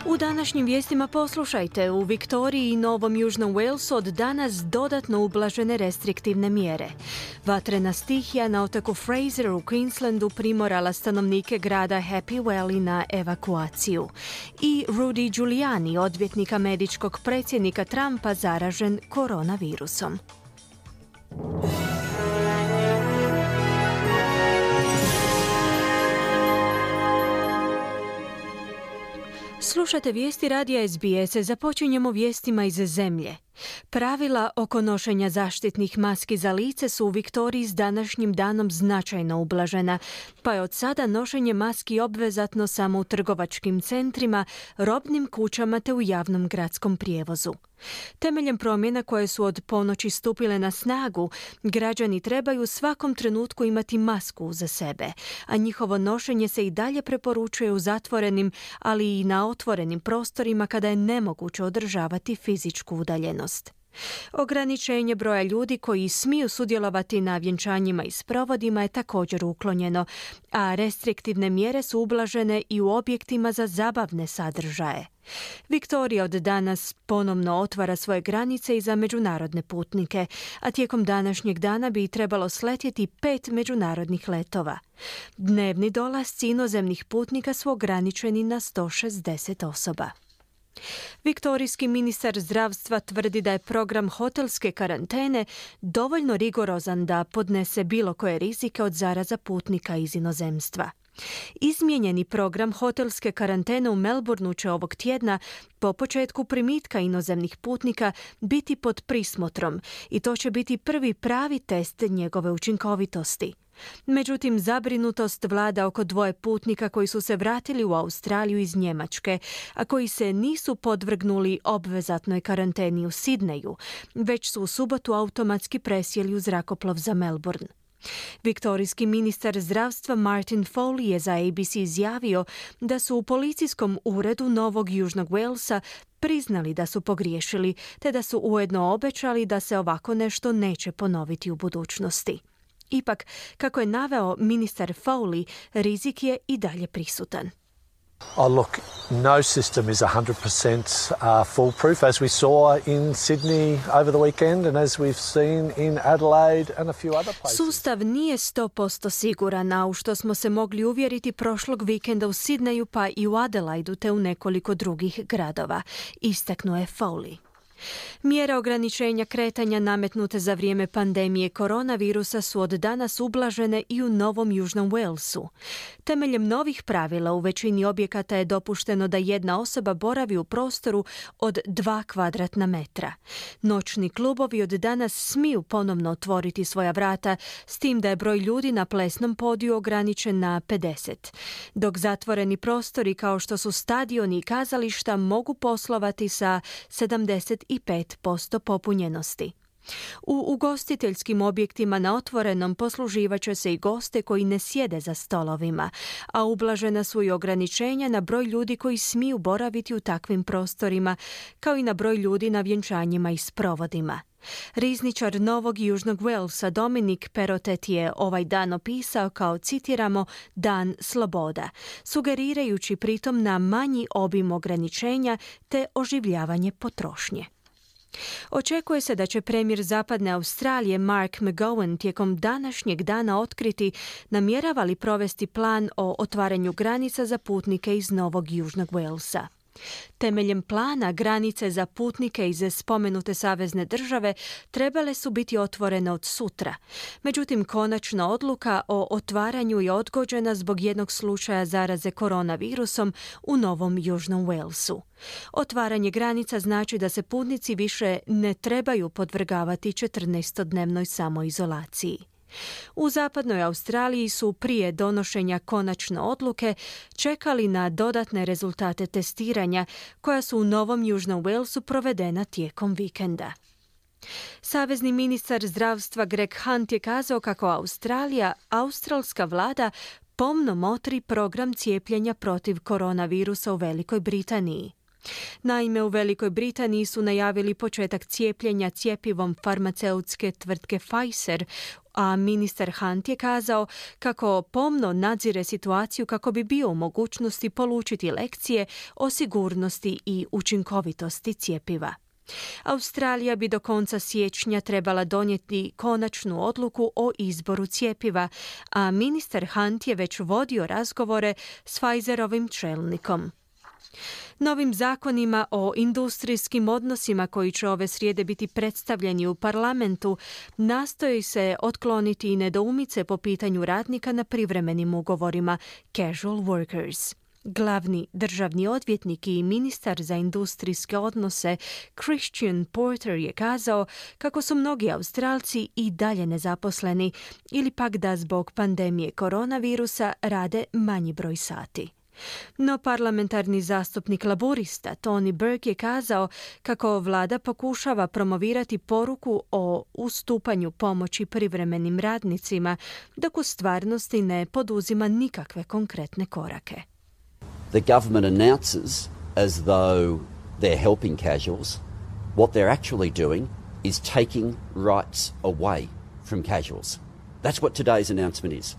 U današnjim vijestima poslušajte, u Viktoriji i Novom Južnom Walesu od danas dodatno ublažene restriktivne mjere. Vatrena stihija na otoku Fraser u Queenslandu primorala stanovnike grada Happy Valley na evakuaciju. I Rudy Giuliani, odvjetnik američkog predsjednika Trumpa, zaražen koronavirusom. Slušate vijesti radija SBS. Započinjemo vijestima iz zemlje. Pravila oko nošenja zaštitnih maski za lice su u Viktoriji s današnjim danom značajno ublažena, pa je od sada nošenje maski obvezatno samo u trgovačkim centrima, robnim kućama te u javnom gradskom prijevozu. Temeljem promjena koje su od ponoći stupile na snagu, građani trebaju u svakom trenutku imati masku za sebe, a njihovo nošenje se i dalje preporučuje u zatvorenim, ali i na otvorenim prostorima kada je nemoguće održavati fizičku udaljenost. Ograničenje broja ljudi koji smiju sudjelovati na vjenčanjima i sprovodima je također uklonjeno, a restriktivne mjere su ublažene i u objektima za zabavne sadržaje. Viktorija od danas ponovno otvara svoje granice i za međunarodne putnike, a tijekom današnjeg dana bi trebalo sletjeti 5 međunarodnih letova. Dnevni dolasci inozemnih putnika su ograničeni na 160 osoba. Viktorijski ministar zdravstva tvrdi da je program hotelske karantene dovoljno rigorozan da podnese bilo koje rizike od zaraza putnika iz inozemstva. Izmijenjeni program hotelske karantene u Melbourneu će ovog tjedna po početku primitka inozemnih putnika biti pod prismotrom i to će biti prvi pravi test njegove učinkovitosti. Međutim, zabrinutost vlada oko 2 putnika koji su se vratili u Australiju iz Njemačke, a koji se nisu podvrgnuli obvezatnoj karanteni u Sidneju, već su u subotu automatski presjeli u zrakoplov za Melbourne. Viktorijski ministar zdravstva Martin Foley je za ABC izjavio da su u policijskom uredu Novog Južnog Walesa priznali da su pogriješili, te da su ujedno obećali da se ovako nešto neće ponoviti u budućnosti. Ipak, kako je naveo ministar Foley, rizik je i dalje prisutan. Oh, look, no system is 100% foolproof, as we saw in Sydney over the weekend and as we've seen in Adelaide and a few other places. Sustav nije 100% siguran, a u što smo se mogli uvjeriti prošlog vikenda u Sidneju pa i u Adelaidu te u nekoliko drugih gradova, istaknuo je Foley. Mjere ograničenja kretanja nametnute za vrijeme pandemije koronavirusa su od danas ublažene i u Novom Južnom Walesu. Temeljem novih pravila u većini objekata je dopušteno da jedna osoba boravi u prostoru od 2 kvadratna metra. Noćni klubovi od danas smiju ponovno otvoriti svoja vrata, s tim da je broj ljudi na plesnom podiju ograničen na 50, dok zatvoreni prostori kao što su stadioni i kazališta mogu poslovati sa 75% popunjenosti. U ugostiteljskim objektima na otvorenom posluživat će se i goste koji ne sjede za stolovima, a ublažena su i ograničenja na broj ljudi koji smiju boraviti u takvim prostorima, kao i na broj ljudi na vjenčanjima i sprovodima. Rizničar Novog Južnog Walesa Dominic Perrottet je ovaj dan opisao kao, citiramo, dan sloboda, sugerirajući pritom na manji obim ograničenja te oživljavanje potrošnje. Očekuje se da će premijer Zapadne Australije Mark McGowan tijekom današnjeg dana otkriti namjerava li provesti plan o otvaranju granica za putnike iz Novog Južnog Walesa. Temeljem plana, granice za putnike iz spomenute savezne države trebale su biti otvorene od sutra. Međutim, konačna odluka o otvaranju je odgođena zbog jednog slučaja zaraze koronavirusom u Novom Južnom Walesu. Otvaranje granica znači da se putnici više ne trebaju podvrgavati 14-dnevnoj samoizolaciji. U Zapadnoj Australiji su prije donošenja konačne odluke čekali na dodatne rezultate testiranja koja su u Novom Južnom Walesu provedena tijekom vikenda. Savezni ministar zdravstva Greg Hunt je kazao kako australska vlada pomno motri program cijepljenja protiv koronavirusa u Velikoj Britaniji. Naime, u Velikoj Britaniji su najavili početak cijepljenja cjepivom farmaceutske tvrtke Pfizer, a ministar Hunt je kazao kako pomno nadzire situaciju kako bi bio u mogućnosti polučiti lekcije o sigurnosti i učinkovitosti cjepiva. Australija bi do konca siječnja trebala donijeti konačnu odluku o izboru cjepiva, a ministar Hunt je već vodio razgovore s Pfizerovim čelnikom. Novim zakonima o industrijskim odnosima koji će ove srijede biti predstavljeni u parlamentu nastoji se otkloniti i nedoumice po pitanju radnika na privremenim ugovorima casual workers. Glavni državni odvjetnik i ministar za industrijske odnose Christian Porter je kazao kako su mnogi Australci i dalje nezaposleni ili pak da zbog pandemije koronavirusa rade manji broj sati. No parlamentarni zastupnik laburista Tony Burke je kazao kako vlada pokušava promovirati poruku o ustupanju pomoći privremenim radnicima, dok u stvarnosti ne poduzima nikakve konkretne korake. The government announces as though they're helping casuals. What they're actually doing is taking rights away from casuals. That's what today's announcement is.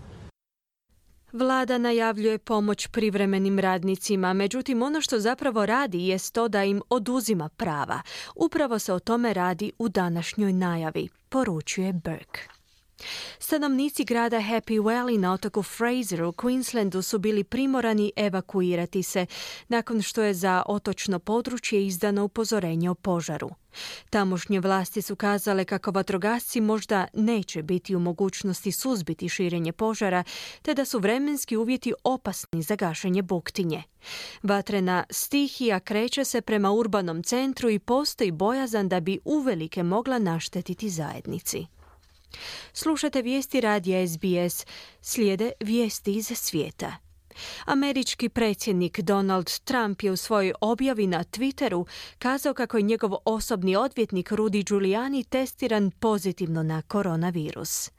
Vlada najavljuje pomoć privremenim radnicima, međutim ono što zapravo radi jest to da im oduzima prava. Upravo se o tome radi u današnjoj najavi, poručuje Burke. Stanovnici grada Happy Valley na otoku Fraser u Queenslandu su bili primorani evakuirati se nakon što je za otočno područje izdano upozorenje o požaru. Tamošnje vlasti su kazale kako vatrogasci možda neće biti u mogućnosti suzbiti širenje požara, te da su vremenski uvjeti opasni za gašenje buktinje. Vatrena stihija kreće se prema urbanom centru i postoji bojazan da bi uvelike mogla naštetiti zajednici. Slušate vijesti radija SBS, slijede vijesti iz svijeta. Američki predsjednik Donald Trump je u svojoj objavi na Twitteru kazao kako je njegov osobni odvjetnik Rudy Giuliani testiran pozitivno na koronavirus.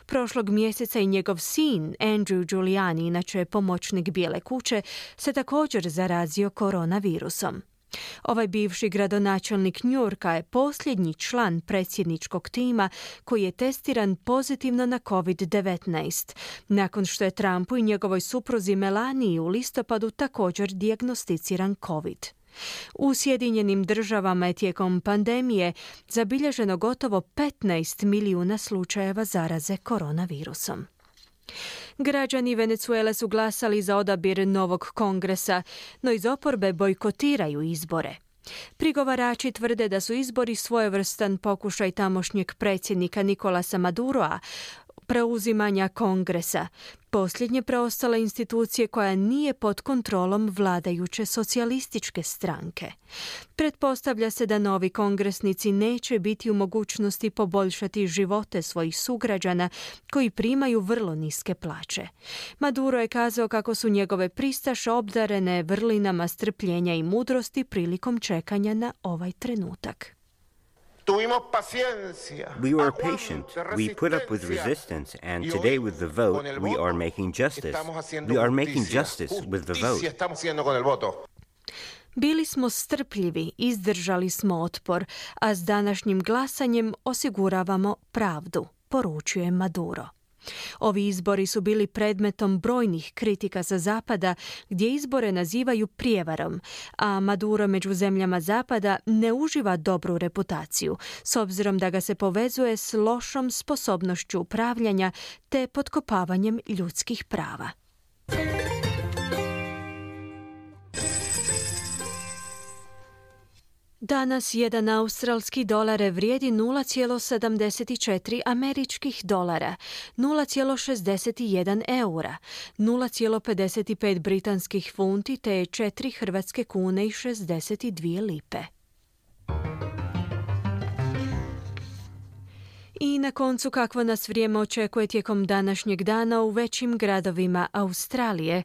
Prošlog mjeseca i njegov sin Andrew Giuliani, inače pomoćnik Bijele kuće, se također zarazio koronavirusom. Ovaj bivši gradonačelnik New Yorka je posljednji član predsjedničkog tima koji je testiran pozitivno na COVID-19, nakon što je Trumpu i njegovoj supruzi Melaniji u listopadu također dijagnosticiran COVID. U Sjedinjenim Državama je tijekom pandemije zabilježeno gotovo 15 milijuna slučajeva zaraze koronavirusom. Građani Venezuele su glasali za odabir novog kongresa, no iz oporbe bojkotiraju izbore. Prigovarači tvrde da su izbori svojevrstan pokušaj tamošnjeg predsjednika Nicolasa Maduroa preuzimanja kongresa, posljednje preostale institucije koja nije pod kontrolom vladajuće socijalističke stranke. Pretpostavlja se da novi kongresnici neće biti u mogućnosti poboljšati živote svojih sugrađana koji primaju vrlo niske plaće. Maduro je kazao kako su njegove pristaše obdarene vrlinama strpljenja i mudrosti prilikom čekanja na ovaj trenutak. We were patient. We put up with resistance, and today with the vote, we are making justice. We are making justice with the vote. Bili smo strpljivi, izdržali smo otpor, a s današnjim glasanjem osiguravamo pravdu, poručuje Maduro. Ovi izbori su bili predmetom brojnih kritika sa Zapada, gdje izbore nazivaju prijevarom, a Maduro među zemljama Zapada ne uživa dobru reputaciju, s obzirom da ga se povezuje s lošom sposobnošću upravljanja te potkopavanjem ljudskih prava. Danas jedan australski dolar vrijedi 0,74 američkih dolara, 0,61 eura, 0,55 britanskih funti te 4 hrvatske kune i 62 lipe. I na koncu kakvo nas vrijeme očekuje tijekom današnjeg dana u većim gradovima Australije.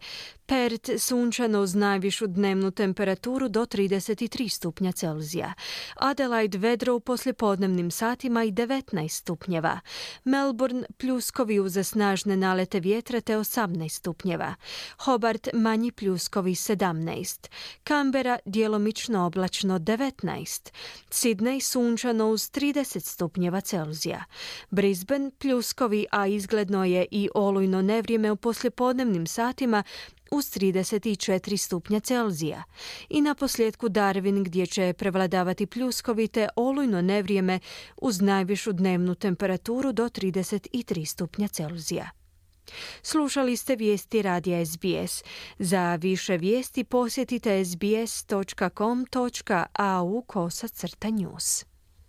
Perth sunčano uz najvišu dnevnu temperaturu do 33 stupnja Celzija. Adelaide vedro u poslijepodnevnim satima i 19 stupnjeva. Melbourne pljuskovi uz snažne nalete vjetra te 18 stupnjeva. Hobart manji pljuskovi 17. Canberra djelomično oblačno 19. Sydney sunčano uz 30 stupnjeva Celzija. Brisbane pljuskovi, a izgledno je i olujno nevrijeme u poslijepodnevnim satima uz 34 stupnja Celzija. I na posljedku Darwin, gdje će prevladavati pljuskovi te olujno nevrijeme uz najvišu dnevnu temperaturu do 33 stupnja Celzija. Slušali ste vijesti radija SBS. Za više vijesti posjetite sbs.com.au/news.